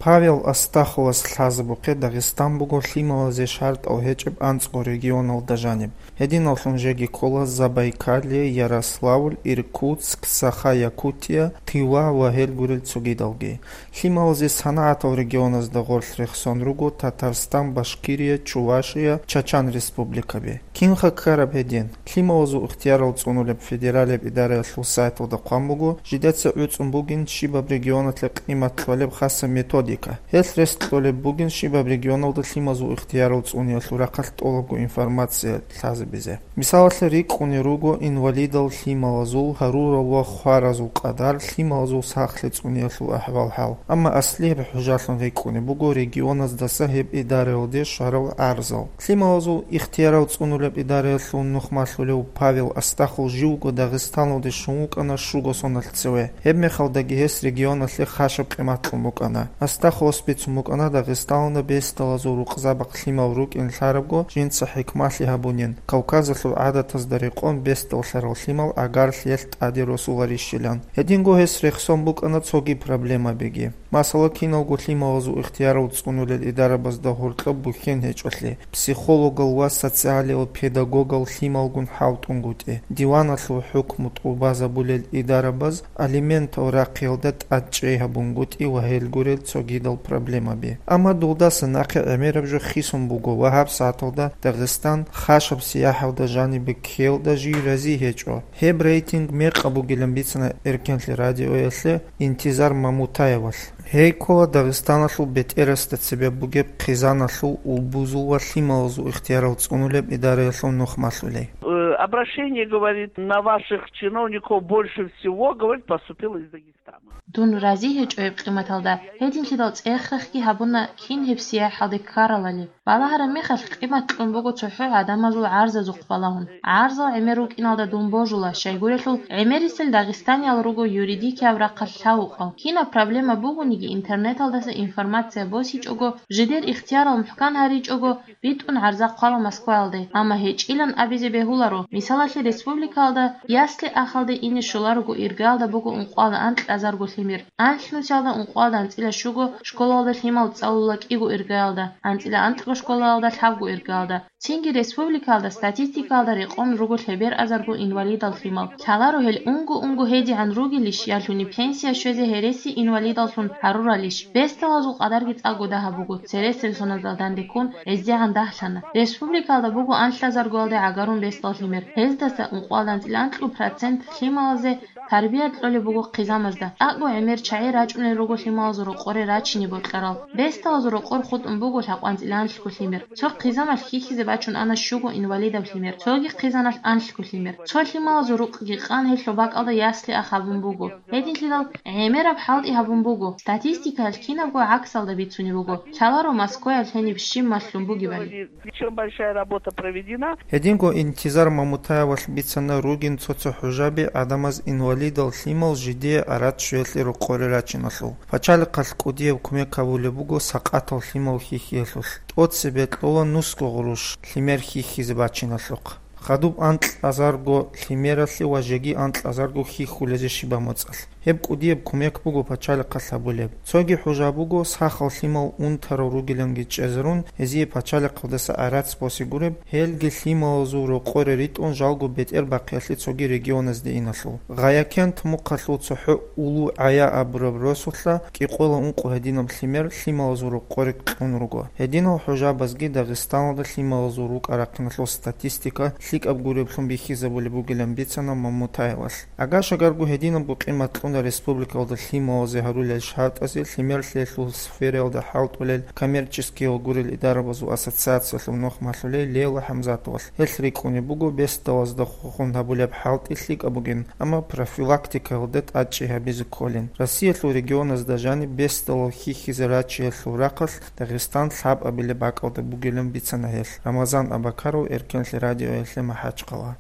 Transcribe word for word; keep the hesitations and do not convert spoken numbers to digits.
Павел Астаховас лъазабухъе Дагъистан буго лъималазе шартӀал гьечӀеб анцӀго регионалда жаниб. Гьединаллъун жеги ккола Забайкалье, Ярославль, Иркутск, Саха-Якутия, Тыва ва гьел гурел цогидалги. Лъималазе санагӀатал регионазда гъорлъ рехсон руго Татарстан, Башкирия, Чувашия, Чачан республикаби. Кинха ккараб гьедин? Лъималазул ихтиярал цӀунулеб федералияб идараялъул сайталда хъван буго, жидеца гӀуцӀун бугин щибаб регионалъе къимат кьолеб хаса методика. Гьелъ рес кьолеб бугин щибаб регионалда лъимазул ихтиярал цӀуниялъул рахъалъ тӀолабго информация лъазабизе. Мисалалъе, рикӀкӀунел руго инвалидал лъималазул, гьарурал ва хваразул къадар, лъималазул сахлъи цӀуниялъул ахӀвал-хӀал. Амма аслияб хӀужалъун рикӀкӀунеб буго регионаздаса гьеб идараялде щварал гӀарзал. Лъималазул ихтиярал цӀунулеб идараялъул нухмалъулев Павел Астахов живго Дагъистаналде щун вукӀана щуго соналъ цеве. Гьеб мехалдаги гьес регионалъе хашаб къимат кьун букӀана. Астаховас бицун букӀана Дагъистаналда бесдалазул рукъзабахъ лъимал рукӀин лъарабго жинца хӀикмалъи гьабунин, Кавказалъул гӀадатазда рекъон бесдаллъарал лъимал агаралъ гьелъ тӀаде росуларищилан. Гьединго гьес рехсон букӀана цоги проблемабиги. Масала, киналго лъималазул ихтиярал цӀунулел идарабазда гьоркьоб бухьен гьечӀолъи, психологал ва социалиял педагогал лъималгун хӀалтӀунгутӀи, диваналъул хӀукму тӀубазабулел идарабаз алиментал рахъиялда тӀадчӀей гьабунгутӀи ва гьел гурел цогидал проблемаби. Амма дулдаса нахъе гӀемераб жо хисун буго ва гьабсагӀаталда Дагъистан хашаб сияхӀалда жанибе ккеялда жий рази гьечӀо. Гьеб рейтинг мекъаб бугилан бицана Эркенлъи радиоялъе Интизар Мамутаевалъ. Гьей ккола Дагъистаналъул бетӀерасда цебе бугеб хъизаналъул, улбузул ва лъималазул ихтиярал цӀунулеб идараялъул нухмалъулей. Э, обращение, говорит, на ваших чиновников больше всего, говорит, поступило из Дагестана. Дун рази гьечӀо гьеб къиматалда, гьединлъидал цӀех-рехги гьабуна кин гьеб сияхӀалде ккаралали. Балагьараб мехалъ къимат кьун буго цохӀо гӀадамазул гӀарзазухъ балагьун. ГӀарзал гӀемер рукӀиналда дун божула, щайгурелъул гӀемерисел дагъистаниял руго юридикияб рахъалъ лъавукъал. Кинаб проблема бугониги, интернеталдаса информация босичӀого, жидер ихтиярал мухӀкан гьаричӀого, битӀун гӀарза хъвала Москваялде, амма гьечӀилан абизе бегьуларо. Мисалалъе, республикаялда ясли-ахалде ине щоларого иргаялда буго ункъоялда анкьазарго лъимер. Анлънусиялда ункъоялда анцӀила щуго школалда лъимал цӀалула кӀиго иргаялда, анцӀила анкьго школалда лъабго иргаялда. Цинги республикаялда статистикаялда рекъон руго лъеберъазарго инвалидал лъимал. Лъаларо гьел унго-унго гьедигӀан ругелищ, ялъуни пенсия щвезе гьереси инвалидаллъун гьаруралищ. Бесдалазул къадарги цӀакъго дагьаб буго, цересел соналда данде ккун гӀезегӀан дагьлъана. Республикаялда буго анлъазаргоялде гӀагарун бесдал лъимер. Гьездаса ункъоялда анцӀила анкьу процент лъималазе тарбия кьолеб буго хъизамазда. ТӀакӀго гӀемер чагӀи рачӀунел руго лъималазул рокъоре рачине бокьарал. Бесдалазул рокъор хутӀун буго лъабкъанцӀила анлъго лъимер. Цо хъизамалъ хьихьизе бачун ана щуго инвалидаб лъимер, цоги хъизаналъ анлъго лъимер. Цо лъималазул рукъги къан гьелъул бакӀалда ясли-ах гьабун буго. Гьединлъидал гӀемераб хӀалтӀи гьабун буго. Статистикаялъ кинабго гӀаксалда бицунеб буго. Лъаларо Москваялъ гьениб щиб малъун бугебали. Причём большая работа проведена. Гьединго Интизар Мамутаевалъ бицана ругин цо-цо хӀужаби гӀадамаз инвалидал лъимал жидее арат щвеялъе рокъоре рачиналъул. Пачалихъалъ кӀудияб кумек гьабулеб буго сакъатал лъимал хьихьиялъулъ. ТӀоцебе кьола нусго гъурущ лъимер хьихьизе бачиналъухъ. Хадуб анкьазарго лъимералъе ва жеги анкьазарго хьихьулезе щибаб моцӀалъ. Гьеб кӀудияб кумек буго пачалихъалъ гьабулеб. Цоги хӀужа буго, сахал лъимал унтарал ругиланги чӀезарун, гьезие пачалихъалдаса гӀарац босе гуреб, гьелги лъималазул рокъоре ритӀун жалго бетӀер бахъиялъе цоги регионазде иналъул. Гъаякент мухъалъул цохӀо Улу-ГӀая абураб росулъа кӀикъоялда ункъо гьединаб лъимер лъималазул рокъоре кьун руго. Гьединал хӀужабазги Дагъистаналда лъималазул рукӀа-рахъиналъул статистика лъикӀаб гуреблъун бихьизабулеб бугилан бицана Мамутаевалъ. Агашагарго гьединабго къимат кьуна республикалда лъималазе гьарулел шартӀазе лъимерлъиялъул сфераялда хӀалтӀулел коммерческиял гурел идарабазул ассоциациялъул нухмалъулей Лейла ХӀамзатовалъ. Гьелъ рикӀкӀунеб буго бесдалазда хохун гьабулеб хӀалтӀи лъикӀаб бугин, амма профилактикаялда тӀадчӀей гьабизе кколин. Россиялъул регионазда жаниб бесдалал хьихьизе рачиялъул рахъалъ Дагъистан лъабабилеб бакӀалда бугилан бицана гьелъ. Рамазан Абакаров, Эркенлъи радиоялъе, МахӀачхъала.